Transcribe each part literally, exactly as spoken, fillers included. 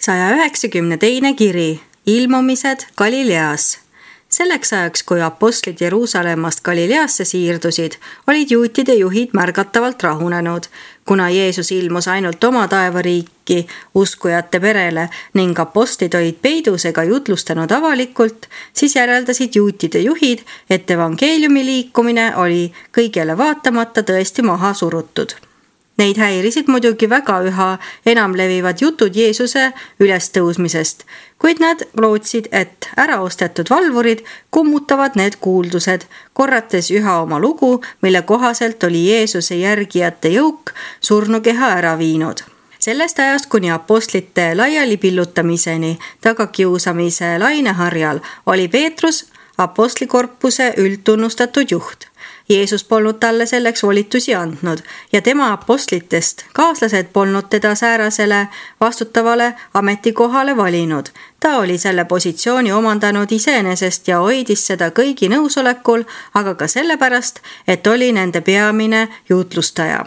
saja üheksakümne teine kiri, ilmumised Galileas. Selleks ajaks, kui apostlid Jeruusalemmast Galileasse siirdusid, olid juutide juhid märgatavalt rahunenud, kuna Jeesus ilmus ainult oma taevariiki uskujate perele ning apostlid olid peidus ega jutlustanud avalikult, siis järeldasid juutide juhid, et evangeeliumi liikumine oli kõigele vaatamata tõesti maha surutud. Neid häirisid muidugi väga üha enam levivad jutud Jeesuse ülestõusmisest, kuid nad lootsid, et äraostetud valvurid kummutavad need kuuldused, korrates üha oma lugu, mille kohaselt oli Jeesuse järgijate jõuk surnukeha ära viinud. Sellest ajast kuni apostlite laiali pillutamiseni tagakiusamise laineharjal oli Peetrus apostlikorpuse üldtunnustatud juht. Jeesus polnud talle selleks volitusi andnud ja tema apostlitest kaaslased polnud teda säärasele vastutavale ametikohale valinud. Ta oli selle positsiooni omandanud iseenesest ja hoidis seda kõigi nõusolekul, aga ka sellepärast, et oli nende peamine jutlustaja.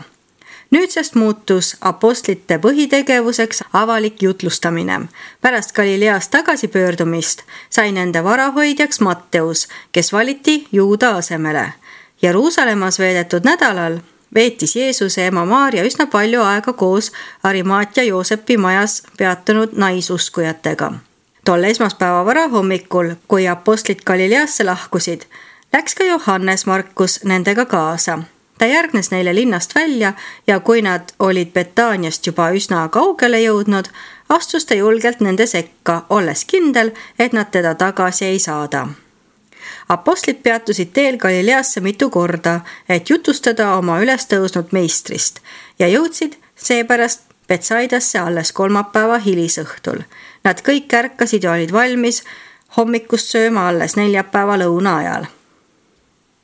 Nüüdsest muutus apostlite põhitegevuseks avalik jutlustamine. Pärast Galileast tagasipöördumist sai nende varahoidjaks Matteus, kes valiti Juuda asemele. Jeruusalemmas veedetud nädalal veetis Jeesuse ema Maaria üsna palju aega koos Arimaatia Joosepi majas peatunud naisuskujatega. Tol esmaspäeva varahommikul, kui apostlid Galileasse lahkusid, läks ka Johannes Markus nendega kaasa. Ta järgnes neile linnast välja ja kui nad olid Betaaniast juba üsna kaugele jõudnud, astus ta julgelt nende sekka, olles kindel, et nad teda tagasi ei saada. Apostlid peatusid teel Galileasse mitu korda, et jutustada oma ülestõusnud meistrist ja jõudsid seepärast Betsaidasse alles kolmapäeva hilisõhtul. Nad kõik ärkasid ja olid valmis hommikust sööma alles neljapäeva lõuna ajal.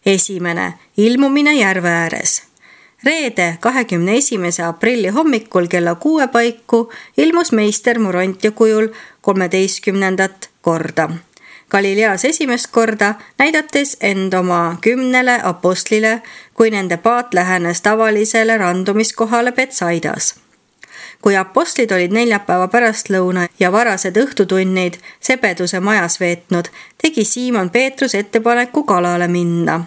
Esimene, ilmumine järve ääres. Reede kahekümne esimese aprilli hommikul kella kuue paiku ilmus meister Morontia kujul kolmeteistkümnendat korda. Galileas esimest korda näidates end oma kümnele apostlile, kui nende paat lähenes tavalisele randumiskohale Betsaidas. Kui apostlid olid neljapäeva pärastlõuna ja varased õhtutunnid Sebeduse majas veetnud, tegi Siimon Peetrus ettepaneku kalale minna,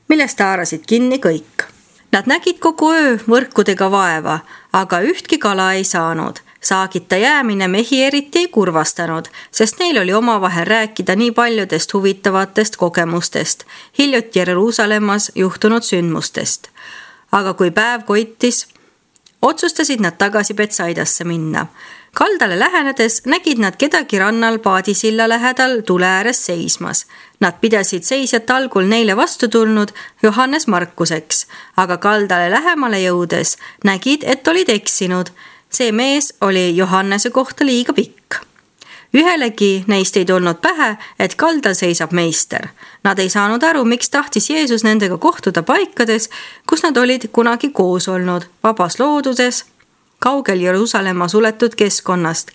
millest haarasid kinni kõik. Nad nägid kogu öö võrkudega vaeva, aga ühtki kala ei saanud. Saagita jäämine mehi eriti ei kurvastanud, sest neil oli omavahel rääkida nii paljudest huvitavatest kogemustest, hiljuti Jeruusalemmas juhtunud sündmustest. Aga kui päev koitis, otsustasid nad tagasi Betsaidasse minna. Kaldale lähenedes nägid nad kedagi rannal paadisilla lähedal tule ääres seismas. Nad pidasid seisjat algul neile vastu tulnud Johannes Markuseks, aga kaldale lähemale jõudes nägid, et olid eksinud. See mees oli Johannese kohta liiga pikk. Ühelegi neist ei tulnud pähe, et kaldal seisab meister. Nad ei saanud aru, miks tahtis Jeesus nendega kohtuda paikades, kus nad olid kunagi koos olnud, vabas looduses, kaugel Jeruusalemma suletud keskkonnast,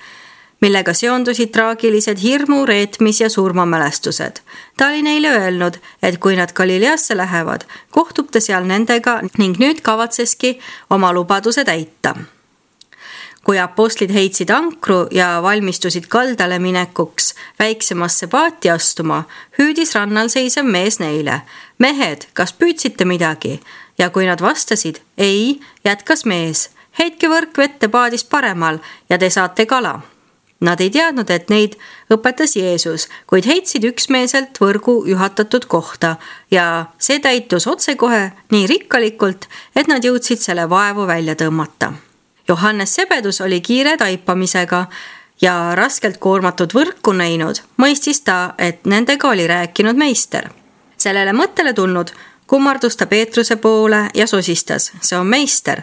millega seondusid traagilised hirmu, reetmis ja surmamälestused. Ta oli neile öelnud, et kui nad Galileasse lähevad, kohtub ta seal nendega ning nüüd kavatseski oma lubaduse täita. Kui apostlid heitsid ankru ja valmistusid kaldale minekuks väiksemasse paati astuma, hüüdis rannal seisev mees neile. Mehed, kas püüdsite midagi? Ja kui nad vastasid, ei, jätkas mees. Heitke võrk vette paadist paremal ja te saate kala. Nad ei teadnud, et neid õpetas Jeesus, kuid heitsid üksmeelselt võrgu juhatatud kohta ja see täitus otsekohe nii rikkalikult, et nad jõudsid selle vaevu välja tõmmata. Johannes Sebedus oli kiire taipamisega ja raskelt koormatud võrku näinud, mõistis ta, et nendega oli rääkinud meister. Sellele mõttele tulnud kummardus ta Peetruse poole ja sosistas, see on meister.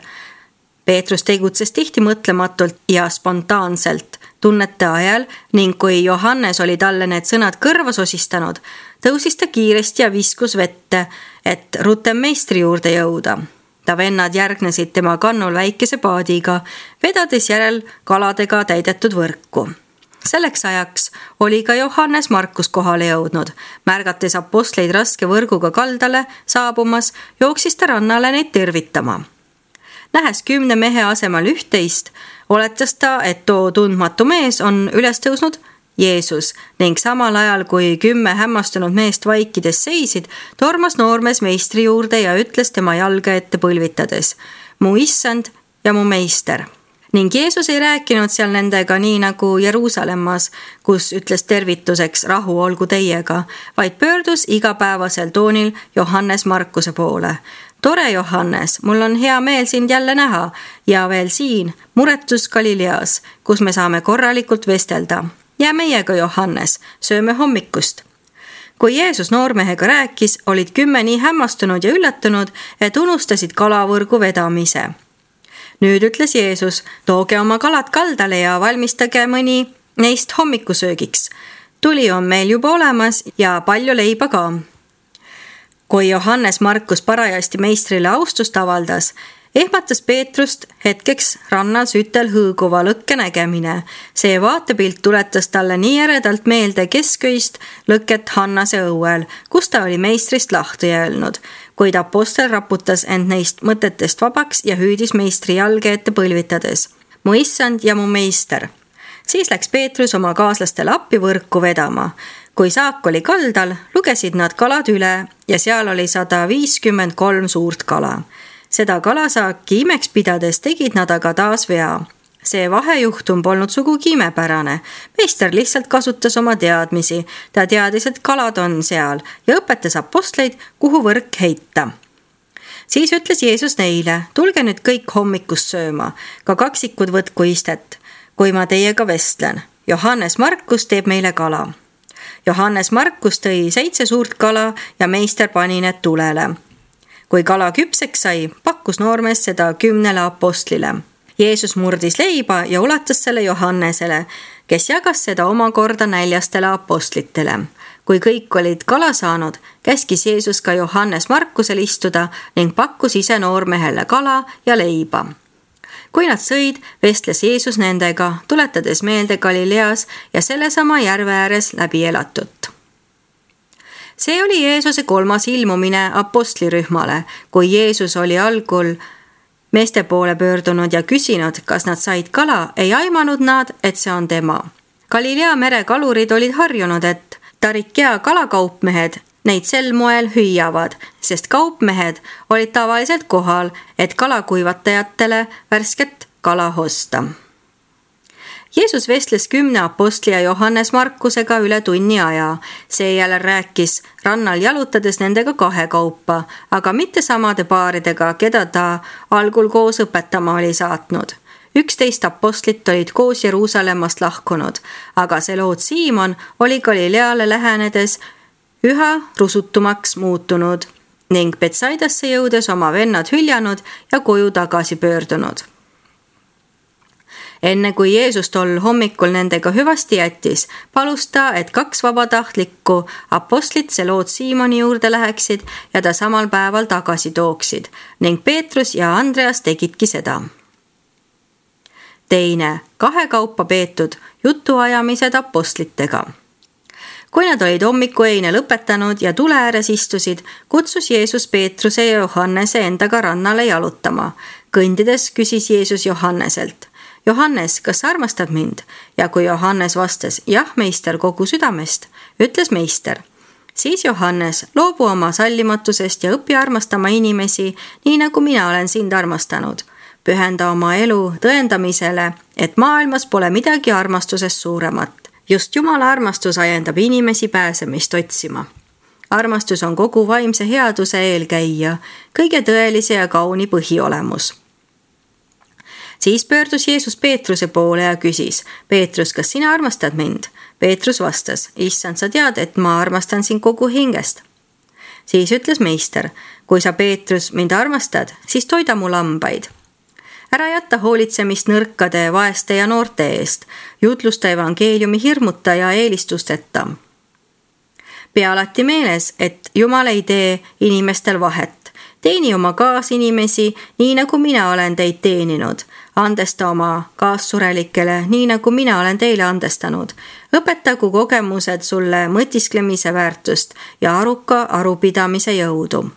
Peetrus tegutses tihti mõtlematult ja spontaanselt tunnete ajal ning kui Johannes oli talle need sõnad kõrva sosistanud, tõusis ta kiiresti ja viskus vette, et rutem meistri juurde jõuda. Ta vennad järgnesid tema kannul väikese paadiga, vedades järel kaladega täidetud võrku. Selleks ajaks oli ka Johannes Markus kohale jõudnud. Märgates apostleid raske võrguga kaldale saabumas, jooksis ta rannale neid tervitama. Nähes kümne mehe asemel ühteist, oletas ta, et too tundmatu mees on üles tõusnud Jeesus ning samal ajal, kui kümme hämmastunud meest vaikides seisid, tormas noormees meistri juurde ja ütles tema jalga ette põlvitades: mu issand ja mu meister. Ning Jeesus ei rääkinud seal nendega nii nagu Jeruusalemmas, kus ütles tervituseks rahu olgu teiega, vaid pöördus igapäevasel toonil Johannes Markuse poole. Tore Johannes, mul on hea meel sind jälle näha ja veel siin, muretus Galileas, kus me saame korralikult vestelda. Jää meiega, Johannes, sööme hommikust. Kui Jeesus noormehega rääkis, olid kümme nii hämmastunud ja üllatunud, et unustasid kalavõrgu vedamise. Nüüd ütles Jeesus: tooge oma kalad kaldale ja valmistage mõni neist hommikusöögiks. Tuli on meil juba olemas ja palju leiba ka. Kui Johannes Markus parajasti meistrile austust avaldas, ehmatas Peetrust hetkeks rannal sütel hõõguva lõkke nägemine. See vaatepilt tuletas talle nii eredalt meelde kesköist lõket Hannase õuel, kus ta oli meistrist lahti öelnud, kuid apostel raputas end neist mõtetest vabaks ja hüüdis meistri jalge ette põlvitades: mu issand ja mu meister. Siis läks Peetrus oma kaaslastele appi võrku vedama. Kui saak oli kaldal, lugesid nad kalad üle ja seal oli sada viiskümmend kolm suurt kala. Seda kalasaaki imeks pidades tegid nad aga taas vea. See vahejuhtum polnud sugugi imepärane. Meister lihtsalt kasutas oma teadmisi. Ta teadis, et kalad on seal ja õpetas apostleid, kuhu võrk heita. Siis ütles Jeesus neile: tulge nüüd kõik hommikust sööma, ka kaksikud võtku istet, kui ma teiega vestlen. Johannes Markus teeb meile kala. Johannes Markus tõi seitse suurt kala ja meister pani need tulele. Kui kala küpseks sai, pakkus noormees seda kümnele apostlile. Jeesus murdis leiba ja ulatas selle Johannesele, kes jagas seda omakorda näljastele apostlitele. Kui kõik olid kala saanud, käskis Jeesus ka Johannes Markusel istuda ning pakkus ise noormehele kala ja leiba. Kui nad sõid, vestles Jeesus nendega, tuletades meelde Galileas ja sellesama järve ääres läbi elatut. See oli Jeesuse kolmas ilmumine apostlirühmale, kui Jeesus oli algul meeste poole pöördunud ja küsinud, kas nad said kala, ei aimanud nad, et see on tema. Galilea mere kalurid olid harjunud, et Tarikea kalakaupmehed neid sel moel hüüavad, sest kaupmehed olid tavaliselt kohal, et kalakuivatajatele värsket kala osta. Jeesus vestles kümne apostli ja Johannes Markusega üle tunni aja. Seejärel rääkis rannal jalutades nendega kahe kaupa, aga mitte samade paaridega, keda ta algul koos õpetama oli saatnud. Üksteist apostlit olid koos Jeruusalemmast lahkunud, aga Seloot Siimon oli Galileale lähenedes üha rusutumaks muutunud ning Betsaidasse jõudes oma vennad hüljanud ja koju tagasi pöördunud. Enne kui Jeesus tol hommikul nendega hüvasti jättis, palus ta, et kaks vabatahtlikku apostlit Seloot Siimoni juurde läheksid ja ta samal päeval tagasi tooksid ning Peetrus ja Andreas tegidki seda. Teine, kahe kaupa peetud jutuajamised apostlitega. Kui nad olid hommikueine lõpetanud ja tule ääres istusid, kutsus Jeesus Peetruse ja Johannese endaga rannale jalutama. Kõndides küsis Jeesus Johanneselt: Johannes, kas sa armastad mind? Ja kui Johannes vastas: jah, meister, kogu südamest, ütles meister: siis Johannes, loobu oma sallimatusest ja õpi armastama inimesi, nii nagu mina olen sind armastanud. Pühenda oma elu tõendamisele, et maailmas pole midagi armastusest suuremat. Just Jumala armastus ajendab inimesi pääsemist otsima. Armastus on kogu vaimse headuse eelkäija, kõige tõelise ja kauni põhiolemus. Siis pöördus Jeesus Peetruse poole ja küsis: Peetrus, kas sina armastad mind? Peetrus vastas: issand, sa tead, et ma armastan sind kogu hingest. Siis ütles meister: kui sa, Peetrus, mind armastad, siis toida mu lambaid. Ära jätta hoolitsemist nõrkade, vaeste ja noorte eest, jutlusta evangeeliumi hirmuta ja eelistusteta. Pea alati meeles, et Jumal ei tee inimestel vahet. Teeni oma kaasinimesi, nii nagu mina olen teid teeninud. Andesta oma kaassurelikele, nii nagu mina olen teile andestanud. Õpetagu kogemused sulle mõtisklemise väärtust ja aruka arupidamise jõudu.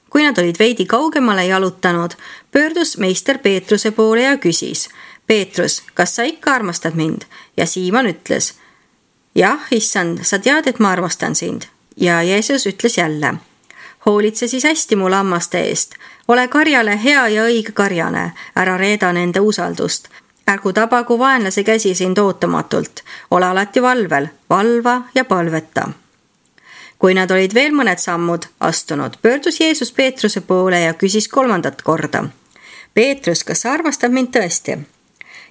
Kui nad olid veidi kaugemale jalutanud, pöördus meister Peetruse poole ja küsis: Peetrus, kas sa ikka armastad mind? Ja Siimon ütles, jah, issand, sa tead, et ma armastan sind. Ja Jeesus ütles jälle, hoolitse siis hästi mu lammaste eest. Ole karjale hea ja õige karjane, ära reeda nende usaldust. Ärgu tabagu vaenlase käsi sind ootamatult. Ole alati valvel, valva ja palveta. Kui nad olid veel mõned sammud astunud, pöördus Jeesus Peetruse poole ja küsis kolmandat korda. Peetrus, kas sa armastad mind tõesti?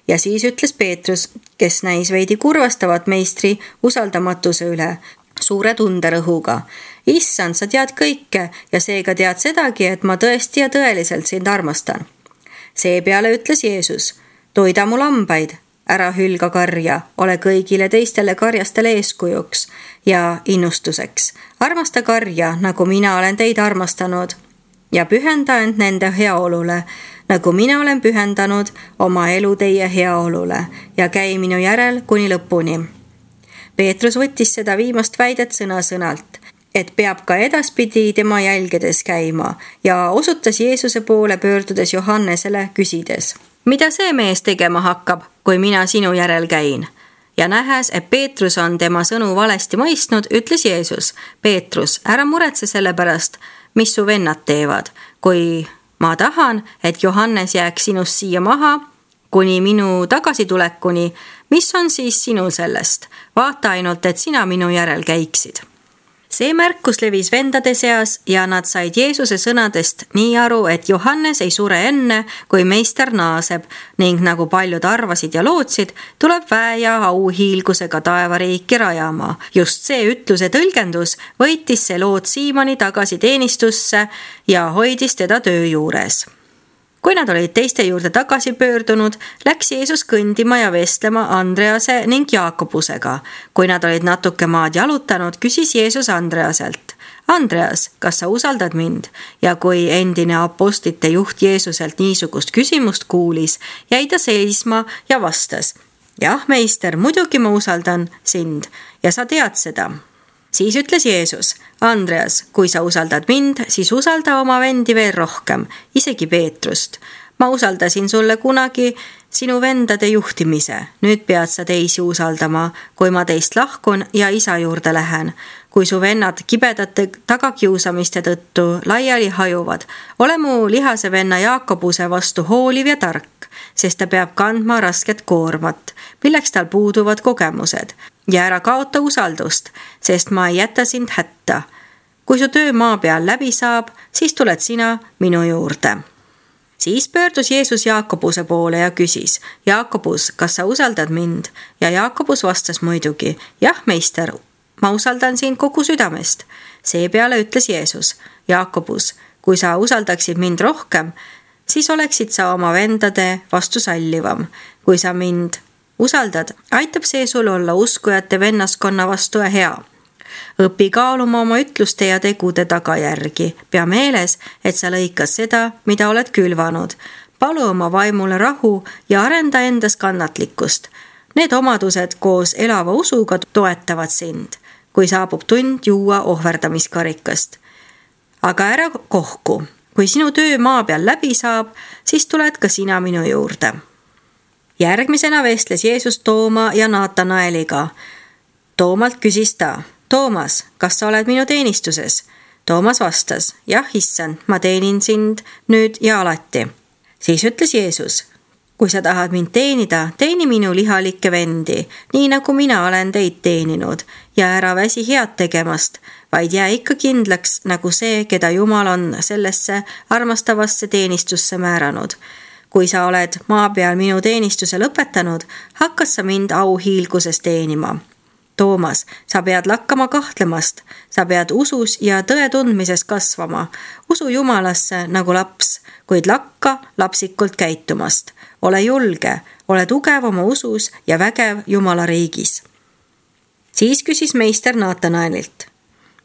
Ja siis ütles Peetrus, kes näis veidi kurvastavat meistri usaldamatuse üle, suure tunderõhuga. Issand, sa tead kõike ja seega tead sedagi, et ma tõesti ja tõeliselt sind armastan. Seepeale ütles Jeesus, toida mu lambaid, ära hülga karja, ole kõigile teistele karjastele eeskujuks ja innustuseks. Armasta karja, nagu mina olen teid armastanud ja pühenda end nende heaolule, nagu mina olen pühendanud oma elu teie heaolule ja käi minu järel kuni lõpuni. Peetrus võttis seda viimast väidet sõna-sõnalt, et peab ka edaspidi tema jälgedes käima ja osutas Jeesuse poole pöördudes Johannesele küsides, mida see mees tegema hakkab, kui mina sinu järel käin? Ja nähes, et Peetrus on tema sõnu valesti mõistnud, ütles Jeesus, Peetrus, ära muretse selle pärast, mis su vennad teevad, kui ma tahan, et Johannes jääks sinust siia maha, kuni minu tagasitulekuni, mis on siis sinul sellest? Vaata ainult, et sina minu järel käiksid. See märkus levis vendade seas ja nad said Jeesuse sõnadest nii aru, et Johannes ei sure enne, kui meister naaseb ning nagu paljud arvasid ja lootsid, tuleb väe ja auhiilgusega taevariiki rajama. Just see ütluse tõlgendus võitis see lood Siimoni tagasi teenistusse ja hoidis teda töö juures. Kui nad olid teiste juurde tagasi pöördunud, läks Jeesus kõndima ja vestlema Andrease ning Jaakobusega. Kui nad olid natuke maad jalutanud, küsis Jeesus Andreaselt, Andreas, kas sa usaldad mind? Ja kui endine apostlite juht Jeesuselt niisugust küsimust kuulis, jäi ta seisma ja vastas, jah, meister, muidugi ma usaldan sind ja sa tead seda. Siis ütles Jeesus, Andreas, kui sa usaldad mind, siis usalda oma vendi veel rohkem, isegi Peetrust. Ma usaldasin sulle kunagi sinu vendade juhtimise. Nüüd pead sa teisi usaldama, kui ma teist lahkun ja isa juurde lähen. Kui su vennad kibedate tagakiusamiste tõttu laiali hajuvad, ole mu lihase venna Jaakobuse vastu hooliv ja tark, sest ta peab kandma rasket koormat, milleks tal puuduvad kogemused. Ja ära kaota usaldust, sest ma ei jäta sind hätta. Kui su töö maa peal läbi saab, siis tuled sina minu juurde. Siis pöördus Jeesus Jaakobuse poole ja küsis, Jaakobus, kas sa usaldad mind? Ja Jaakobus vastas muidugi, jah, meister, ma usaldan sind kogu südamest. Seepeale ütles Jeesus, Jaakobus, kui sa usaldaksid mind rohkem, siis oleksid sa oma vendade vastu sallivam. Kui sa mind usaldad, aitab see sul olla uskujate vennaskonna vastu ja hea. Õpi kaaluma oma ütluste ja tegude tagajärgi. Pea meeles, et sa lõikas seda, mida oled külvanud. Palu oma vaimule rahu ja arenda endas kannatlikkust. Need omadused koos elava usuga toetavad sind, kui saabub tund juua ohverdamiskarikast. Aga ära kohku. Kui sinu töö maa peal läbi saab, siis tuled ka sina minu juurde. Järgmisena vestles Jeesus Tooma ja Naatanaeliga. Toomalt küsis ta, Toomas, kas sa oled minu teenistuses? Toomas vastas, jah, issand, ma teenin sind nüüd ja alati. Siis ütles Jeesus, kui sa tahad mind teenida, teeni minu lihalikke vendi, nii nagu mina olen teid teeninud, ja ära väsi head tegemast, vaid jää ikka kindlaks nagu see, keda Jumal on sellesse armastavasse teenistusse määranud. Kui sa oled maa peal minu teenistuse lõpetanud, hakkas sa mind auhiilguses teenima. Toomas, sa pead lakkama kahtlemast, sa pead usus ja tõe tundmises kasvama, usu Jumalasse nagu laps, kuid lakka lapsikult käitumast. Ole julge, ole tugev oma usus ja vägev Jumala riigis. Siis küsis meister Naatanaelilt.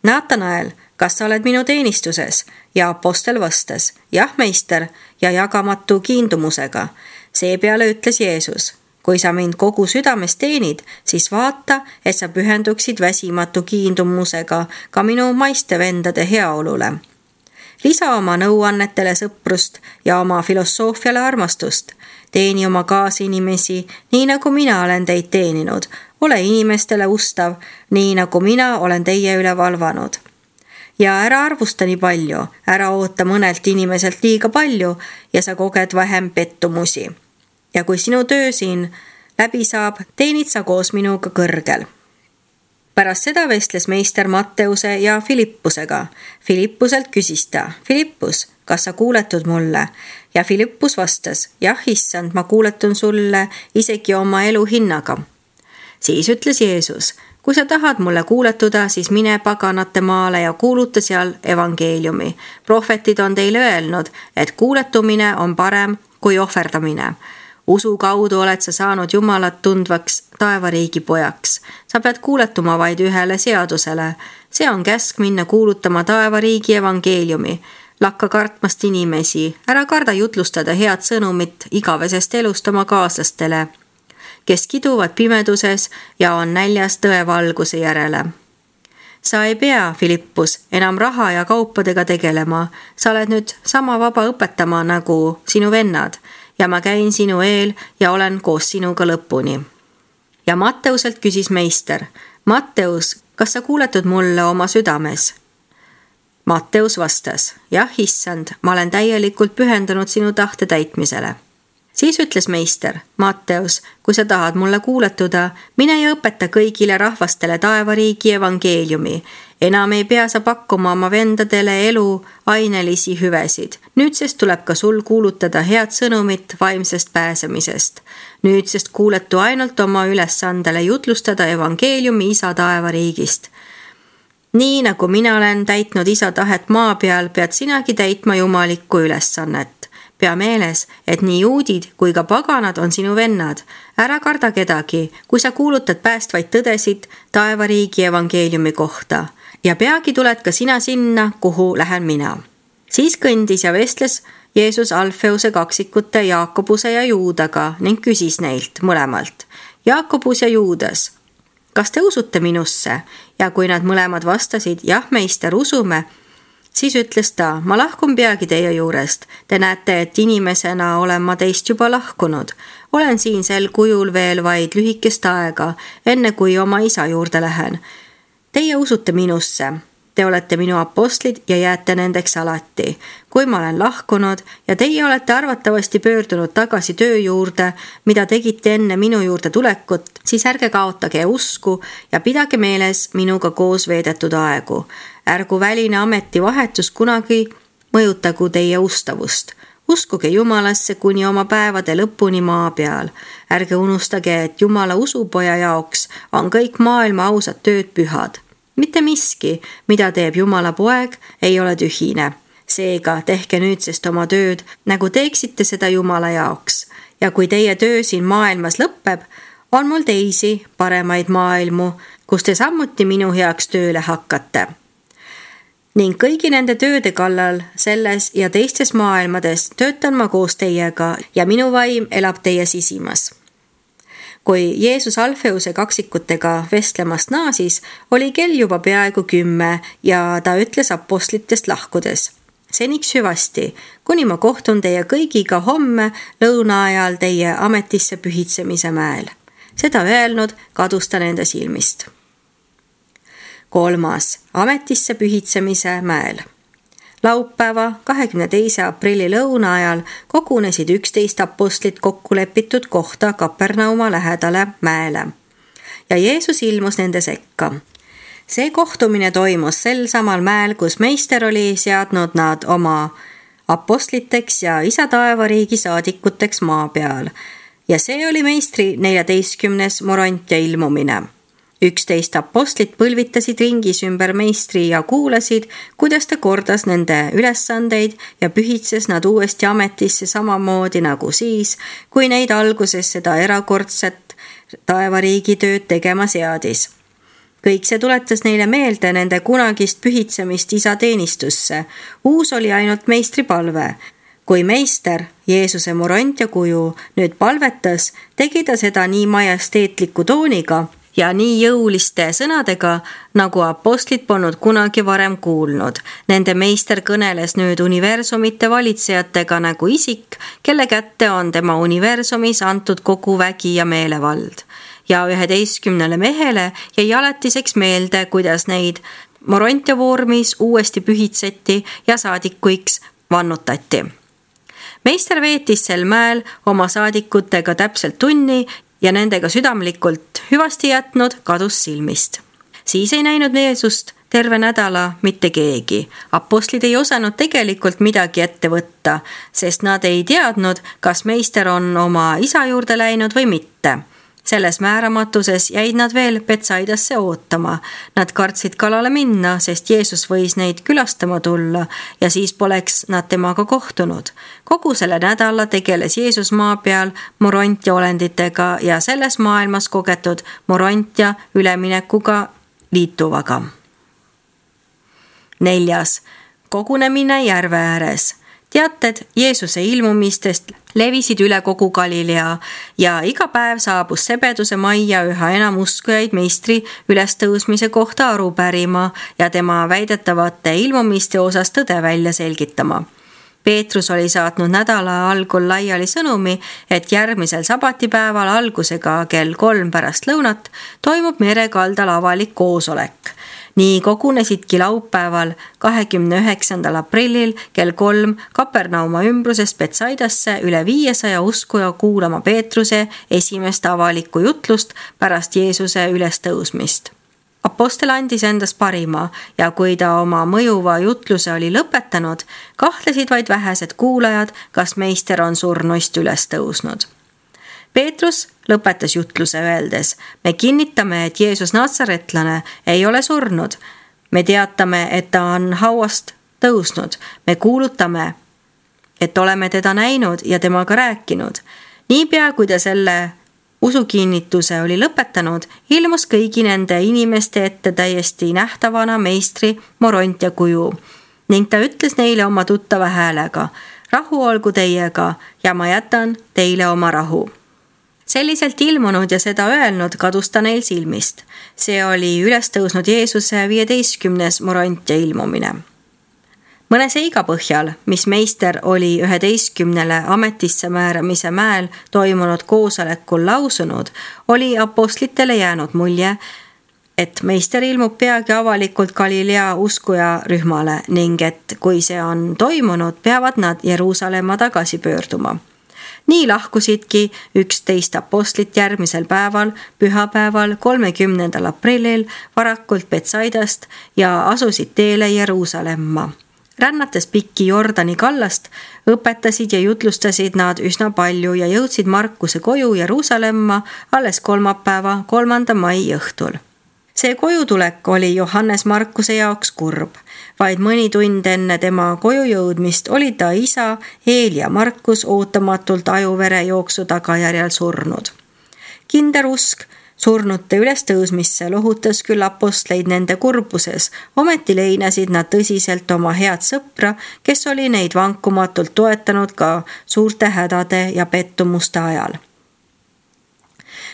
Naatanael, kas sa oled minu teenistuses? Ja apostel vastas, jah, meister, ja jagamatu kiindumusega. Seepeale ütles Jeesus, kui sa mind kogu südames teenid, siis vaata, et sa pühenduksid väsimatu kiindumusega ka minu maiste vendade heaolule. lisa oma nõuannetele sõprust ja oma filosoofiale armastust. Teeni oma kaasinimesi, nii nagu mina olen teid teeninud. Ole inimestele ustav, nii nagu mina olen teie üle valvanud. Ja ära arvusta nii palju, ära oota mõnelt inimeselt liiga palju ja sa koged vähem pettumusi. Ja kui sinu töö siin läbi saab, teenid sa koos minuga kõrgel. Pärast seda vestles meister Matteuse ja Filippusega. Filippuselt küsis ta, Filippus, kas sa kuuletud mulle? Ja Filippus vastas, jah, issand, ma kuuletun sulle isegi oma elu hinnaga. Siis ütles Jeesus, kui sa tahad mulle kuuletuda, siis mine paganate maale ja kuuluta seal evangeeliumi. Prohvetid on teile öelnud, et kuuletumine on parem kui ohverdamine. Usu kaudu oled sa saanud Jumalat tundvaks taevariigi pojaks. Sa pead kuuletuma vaid ühele seadusele. See on käsk minna kuulutama taevariigi evangeeliumi. Lakka kartmast inimesi, ära karda jutlustada head sõnumit igavesest elust oma kaaslastele, kes kiduvad pimeduses ja on näljas tõevalguse järele. Sa ei pea, Filippus, enam raha ja kaupadega tegelema. Sa oled nüüd sama vaba õpetama nagu sinu vennad ja ma käin sinu eel ja olen koos sinuga lõpuni. Ja Matteuselt küsis meister, Matteus, kas sa kuuletud mulle oma südames? Matteus vastas, jah, issand, ma olen täielikult pühendunud sinu tahte täitmisele. Siis ütles meister, Matteus, kui sa tahad mulle kuuletuda, mine ja õpeta kõigile rahvastele taevariigi evangeeliumi. Enam ei pea sa pakkuma oma vendadele elu ainelisi hüvesid. Nüüdsest tuleb ka sul kuulutada head sõnumit vaimsest pääsemisest. Nüüdsest kuuletu ainult oma ülesandele jutlustada evangeeliumi isa taevariigist. Nii nagu mina olen täitnud isa tahet maa peal, pead sinagi täitma jumalikku ülesannet. Pea meeles, et nii juudid kui ka paganad on sinu vennad. Ära karda kedagi, kui sa kuulutad päästvaid tõdesid taevariigi evangeeliumi kohta. Ja peagi tuled ka sina sinna, kuhu lähen mina. Siis kõndis ja vestles Jeesus Alfeuse kaksikute Jaakobuse ja Juudaga ning küsis neilt mõlemalt. Jaakobus ja Juudas, kas te usute minusse? Ja kui nad mõlemad vastasid, jah, meister, usume, siis ütles ta, ma lahkun peagi teie juurest. Te näete, et inimesena olen ma teist juba lahkunud. Olen siin sel kujul veel vaid lühikest aega, enne kui oma isa juurde lähen. Teie usute minusse. Te olete minu apostlid ja jääte nendeks alati. Kui ma olen lahkunud ja teie olete arvatavasti pöördunud tagasi töö juurde, mida tegite enne minu juurde tulekut, siis ärge kaotage usku ja pidage meeles minuga koos veedetud aegu. Ärgu väline ametivahetus kunagi mõjutagu teie ustavust. Uskuge Jumalasse kuni oma päevade lõpuni maa peal. Ärge unustage, et Jumala usupoja jaoks on kõik maailma ausad tööd pühad. Mitte miski, mida teeb Jumala poeg, ei ole tühine. Seega tehke nüüdsest oma tööd, nagu teeksite seda Jumala jaoks. Ja kui teie töö siin maailmas lõpeb, on mul teisi paremaid maailmu, kus te samuti minu heaks tööle hakkate. Ning kõigi nende tööde kallal selles ja teistes maailmades töötan ma koos teiega ja minu vaim elab teie sisimas. Kui Jeesus Alfeuse kaksikutega vestlemast naasis, oli kell juba peaaegu kümme ja ta ütles apostlitest lahkudes. Seniks hüvasti, kuni ma kohtun teie kõigiga homme lõuna ajal teie ametisse pühitsemise mäel. Seda öelnud kadus ta nende silmist. Kolmas, ametisse pühitsemise mäel. Laupäeva kahekümne teise aprilli lõuna ajal kogunesid üksteist apostlit kokkulepitud kohta Kapernauma lähedale mäele. Ja Jeesus ilmus nende sekka. See kohtumine toimus sel samal mäel, kus meister oli seadnud nad oma apostliteks ja isa taevariigi saadikuteks maa peal. Ja see oli meistri neljateistkümnes moront ja ilmumine. Üksteist apostlit põlvitasid ringis ümber meistri ja kuulasid, kuidas ta kordas nende ülesandeid ja pühitses nad uuesti ametisse samamoodi nagu siis, kui neid alguses seda erakordset taevariigi tööd tegema seadis. Kõik see tuletas neile meelde nende kunagist pühitsemist isa teenistusse. Uus oli ainult meistri palve. Kui meister, Jeesuse moront ja kuju, nüüd palvetas, tegi ta seda nii majesteetliku tooniga, ja nii jõuliste sõnadega, nagu apostlid polnud kunagi varem kuulnud. Nende meister kõneles nüüd universumite valitsejatega nagu isik, kelle kätte on tema universumis antud kogu vägi ja meelevald. Ja üheteistkümnele mehele jäi alatiseks meelde, kuidas neid Morontia vormis uuesti pühitseti ja saadikuiks vannutati. Meister veetis sel mäel oma saadikutega täpselt tunni ja nendega südamlikult hüvasti jätnud kadus silmist. Siis ei näinud Jeesust terve nädala mitte keegi. Apostlid ei osanud tegelikult midagi ette võtta, sest nad ei teadnud, kas meister on oma isa juurde läinud või mitte. Selles määramatuses jäid nad veel Betsaidasse ootama. Nad kartsid kalale minna, sest Jeesus võis neid külastama tulla ja siis poleks nad temaga kohtunud. Kogu selle nädala tegeles Jeesus maa peal Morontia olenditega ja selles maailmas kogetud Morontia üleminekuga liituvaga. Neljas. Kogunemine järve ääres. Teated Jeesuse ilmumistest levisid üle kogu Galilea ja iga päev saabus sebeduse majja üha enam uskujaid meistri ülestõusmise kohta aru pärima ja tema väidetavate ilmumiste osas tõde välja selgitama. Peetrus oli saatnud nädala algul laiali sõnumi, et järgmisel sabatipäeval algusega kell kolm pärast lõunat toimub merekaldal avalik koosolek. Nii kogunesidki laupäeval kahekümne üheksandal aprillil kell kolm Kapernauma ümbrusest Betsaidasse üle viiesaja uskuja kuulama Peetruse esimest avalikku jutlust pärast Jeesuse ülestõusmist. Apostel andis endast parima ja kui ta oma mõjuva jutluse oli lõpetanud, kahtlesid vaid vähesed kuulajad, kas meister on surnuist üles tõusnud. Peetrus lõpetas jutluse öeldes, me kinnitame, et Jeesus Natsaretlane ei ole surnud. Me teatame, et ta on hauast tõusnud. Me kuulutame, et oleme teda näinud ja temaga rääkinud. Niipea, kui ta selle usukinnituse oli lõpetanud, ilmus kõigi nende inimeste ette täiesti nähtavana meistri Morontia kuju ning ta ütles neile oma tuttava häälega, rahu olgu teiega ja ma jätan teile oma rahu. Selliselt ilmunud ja seda öelnud kadus ta neil silmist. See oli üles tõusnud Jeesuse viieteistkümnes Morontia ilmumine. Mõne seiga põhjal, mis meister oli üheteistkümnele ametisse määramise mäel toimunud koosolekul lausunud, oli apostlitele jäänud mulje, et meister ilmub peagi avalikult Galilea uskuja rühmale ning et kui see on toimunud, peavad nad Jeruusalemma tagasi pöörduma. Nii lahkusidki üksteist apostlit järgmisel päeval, pühapäeval, kolmekümnendal aprillil varakult Betsaidast ja asusid teele Jeruusalemma. Rännates pikki Jordani kallast, õpetasid ja jutlustasid nad üsna palju ja jõudsid Markuse koju Jeruusalemma alles kolmapäeva, kolmanda mai õhtul. See kojutulek oli Johannes Markuse jaoks kurb. Vaid mõni tund enne tema koju jõudmist oli ta isa Eelia Markus ootamatult ajuvere jooksu tagajärjel surnud. Kinder usk surnute ülestõusmisse lohutas küll apostleid nende kurbuses, ometi leinasid nad tõsiselt oma head sõpra, kes oli neid vankumatult toetanud ka suurte hädade ja pettumuste ajal.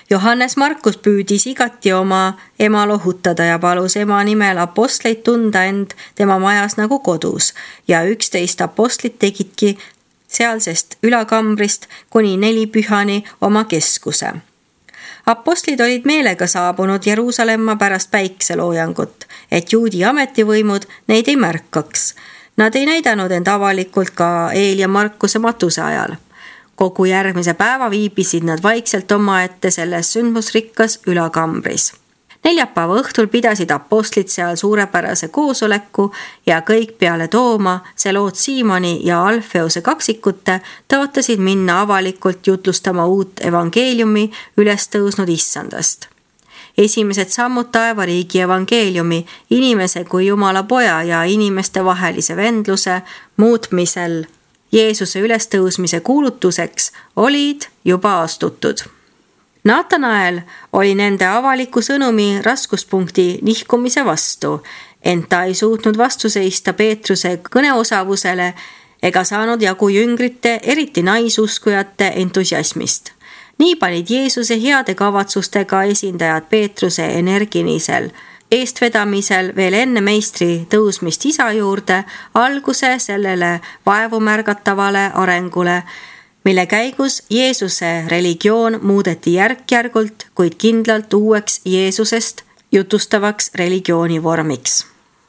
Johannes Markus püüdis igati oma ema lohutada ja palus ema nimel apostleid tunda end tema majas nagu kodus ja üksteist apostlit tegidki sealsest ülakambrist kuni neli pühani oma keskuse. Apostlid olid meelega saabunud Jeruusalemma pärast päikseloojangut, et juudi ametivõimud neid ei märkaks. Nad ei näidanud end avalikult ka Eelia Markuse matuse ajal. Kogu järgmise päeva viibisid nad vaikselt omaette selles sündmusrikkas ülakambris. Neljapäeva õhtul pidasid apostlid seal suurepärase koosoleku ja kõik peale Tooma, Seloot Siimoni ja Alfeuse kaksikute tõotasid minna avalikult jutlustama uut evangeeliumi üles tõusnud issandast. Esimesed sammud taevariigi evangeeliumi, inimese kui Jumala poja ja inimeste vahelise vendluse muutmisel Jeesuse ülestõusmise kuulutuseks olid juba astutud. Natanael oli nende avaliku sõnumi raskuspunkti nihkumise vastu, ent ta ei suutnud vastu seista Peetruse kõneosavusele ega saanud jagu jüngrite, eriti naisuskujate entusiasmist. nii panid Jeesuse heade kavatsustega esindajad Peetruse energinisel eestvedamisel veel enne meistri tõusmist isa juurde alguse sellele vaevumärgatavale arengule, mille käigus Jeesuse religioon muudeti järk-järgult, kuid kindlalt uueks Jeesusest jutustavaks religiooni vormiks.